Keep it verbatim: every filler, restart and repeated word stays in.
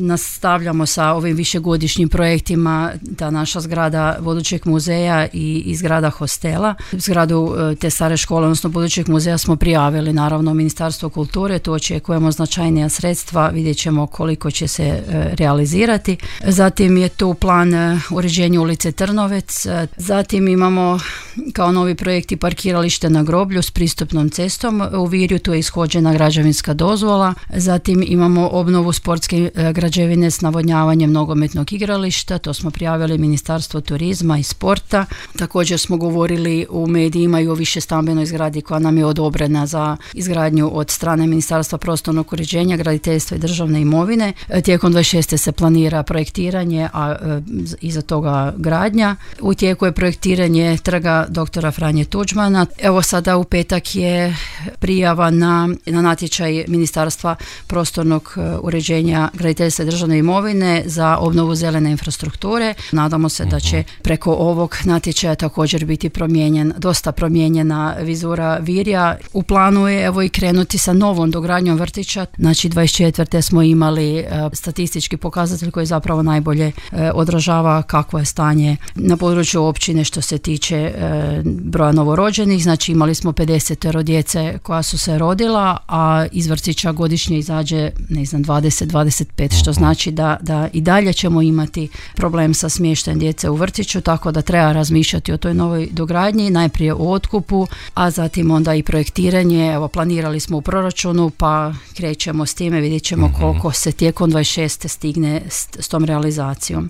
nastavljamo sa ovim višegodišnjim projektima, ta naša zgrada budućeg muzeja i, i zgrada hostela. Zgradu te stare škole, odnosno budućeg muzeja smo prijavili naravno Ministarstvo kulture, tu očekujemo značajnija sredstva, vidjet ćemo koliko će se e, realizirati. Zatim je tu plan e, uređenja ulice Trnovec, e, zatim imamo kao novi projekti parkiralište na groblju s pristupnom cestom u Virju, tu je ishođena građevinska dozvola. Zatim imamo obnovu sportske e, građevine s navodnjavanjem nogometnog igrališta, to smo prijavili Ministarstvo turizma i sporta. Također smo govorili u medijima i o višestambenoj zgradi koja nam je odobrena za izgradnju od strane Ministarstva prostornog uređenja, graditeljstva i državne imovine. Tijekom dvadeset šeste se planira projektiranje, a e, iza toga gradnja. U tijeku je projektiranje trga doktora Franje Tuđmana. Evo sada u petak je prijava na, na natječaj Ministarstva prostornog uređenja, graditeljstva i državne imovine za obnovu zelene infrastrukture. Nadamo se da će preko ovog natječaja također biti promijenjen, dosta promijenjena vizura Virja. U planu je evo i krenuti sa novom dogradnjom vrtića. Znači dvadeset četvrte smo imali e, statistički pokazatelj koji zapravo najbolje e, odražava kakvo je stanje na području općine što se tiče e, broja novorođenih. Znači imali smo pedeset djece koja su se rodila, a iz vrtića godišnje izađe ne znam dvadeset do dvadeset pet, što znači da, da i dalje ćemo imati problem sa smještajem djece u vrtiću, tako da treba razmišljati o toj novoj dogradnji, najprije o otkupu, a zatim onda i projektiranje. Evo planirali smo u proračunu, pa krećemo s time, vidjet ćemo koliko se tijekom dvadeset šeste stigne s, s tom realizacijom.